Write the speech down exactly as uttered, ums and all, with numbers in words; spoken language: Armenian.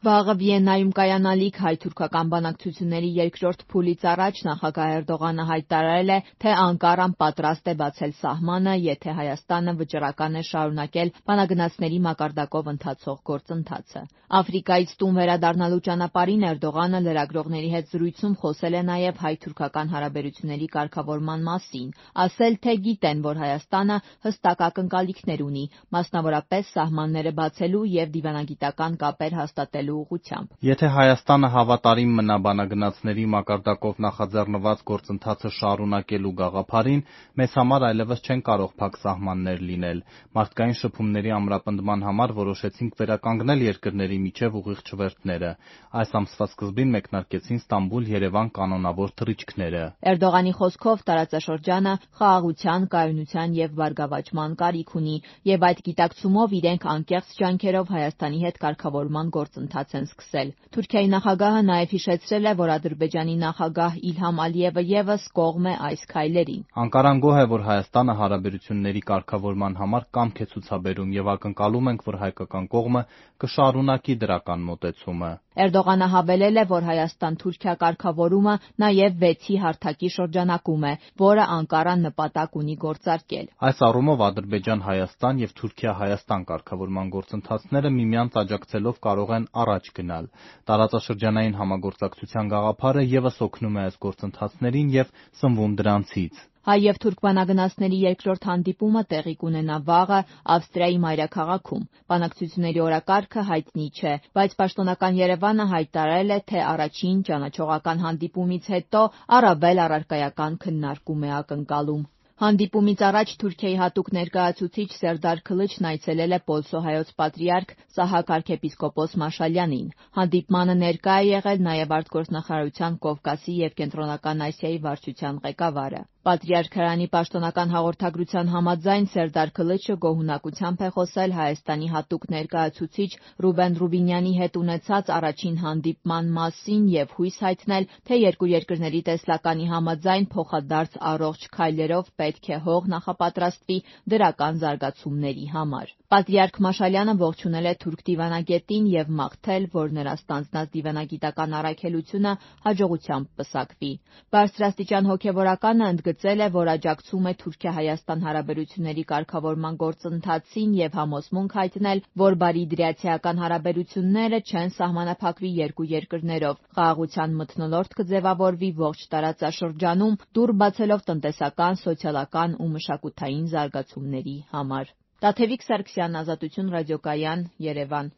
Վաղը Վիեննայում կայանալիք հայ-թուրքական բանակցությունների երկրորդ փուլից առաջ նախագահ Էրդողանը հայտարարել է, թե Անկարան պատրաստ է բացել սահմանը, եթե Հայաստանը վճռական է շարունակել բանագնացների մակարդակով ընթացող գործընթացը։ Աֆրիկայից տուն վերադառնալու ճանապարհին Էրդողանը լրագրողների հետ զրույցում խոսել է նաև հայ-թուրքական հարաբերությունների կարգավորման մասին, ասել, թե գիտեն, որ Հայաստանը հստակ ակնկալիքներ ունի, մասնավորապես սահմանները բացելու և դիվանագիտական կապեր հաստատելու ուղղությամբ։ Եթե Հայաստանը հավատարիմ մնա բանագնացների մակարդակով նախաձեռնված գործընթացը շարունակելու գաղափարին, մեզ համար այլևս չեն կարող փակ սահմաններ լինել։ Մարդկային շփումների ամրապնդման համար որոշեցինք վերականգնել երկրների միջև ուղիղ չվերթները։ Այս ամսվա սկզբին մեկնարկեցին Ստամբուլ-Երևան կանոնավոր թռիչքները։ Էրդողանի խոսքով տարածաշրջանը խաղաղության, կայունության և բարգավաճման կարիք ունի, և այդ գիտակցումով իրենք անկեղծ ջանքերով Հայաստանի հետ կարգավորման գործընթաց են սկսել։ Թուրքիայի նախագահը նաև հիշեցրել է, որ Ադրբեջանի նախագահ Իլհամ Ալիևը ևս կողմ է այս քայլերին։ Անկարան գոհ է, որ Հայաստանը հարաբերությունների կարգավորման համար կամք է ցուցաբերում և ակնկալում ենք, որ հայկական կողմը կշարունակի դրական մոտեցումը։ Էրդողանը հավելել է, որ Հայաստան-Թուրքիա կարգավորումը նաև վեցի հարթակի շրջանակում է, որը Անկարան նպատակ ունի գործարկել։ Այս առումով Ադրբեջան-Հայաստան և Թուրքիա-Հայաստան կարգավորման գործընթացները միմյանց աջակցելով կարող են առաջ գնալ։ Տարածաշրջանային համագործակցության գաղափարը ևս օգնում է այս գործընթացներին և սնվում դրանցից։ Հայ և թուրք բանագնացների երկրորդ հանդիպումը տեղի կունենա վաղը Ավստրիայի մայրաքաղաքում։ Բանակցությունների օրակարգը հայտնի չէ, բայց պաշտոնական Երևանը հայտարարել է, թե առաջին ճանաչողական հանդիպումից հետո առավել առարկայական քննարկում է ակնկալում։ Հանդիպումից առաջ Թուրքիայի հատուկ ներկայացուցիչ Սերդար Քլիչն այցելել է Պոլսո հայոց պատրիարք Սահակ arczepiskopos Մաշալյանին։ Հանդիպմանը ներկա է եղել նաև արտգործնախարարության Կովկասի և Կենտրոնական Ասիայի վարչության ղեկավարը։ Պատրիարքարանի պաշտոնական հաղորդագրության համաձայն Սերդար Քլիչը գոհունակությամբ է խոսել Հայաստանի հատուկ ներկայացուցիչ Ռուբեն Ռուբինյանի հետ ունեցած առաջին հանդիպման մասին և հույս հայտնել, թե երկու երկրների տեսլականի համաձայն փոխադարձ առողջ քայլերով պետք է հող նախապատրաստվի դրական զարգացումների համար։ Պատրիարք Մաշալյանը ողջունել է թուրք դիվանագետին և մաղթել, որ նրա ստանձնած դիվանագիտական առաքելությունը հաջողությամբ պսակվի։ Բարձրաստիճան հոգևորականը ընդգծել է, որ աջակցում է Թուրքիա-Հայաստան հարաբերությունների կարգավորման գործընթացին և համոզմունք հայտնել, որ բարիդրիացիական հարաբերությունները չեն սահմանափակվի երկու երկրներով, խաղաղության մթնոլորտ կձևավորվի ողջ տարածաշրջանում, դուռ բացելով տնտեսական, սոցիալական ու մշակութային զարգացումների համար։ Տաթևիկ Սարգսյան, Ազատություն ռադիոկայան, Երևան։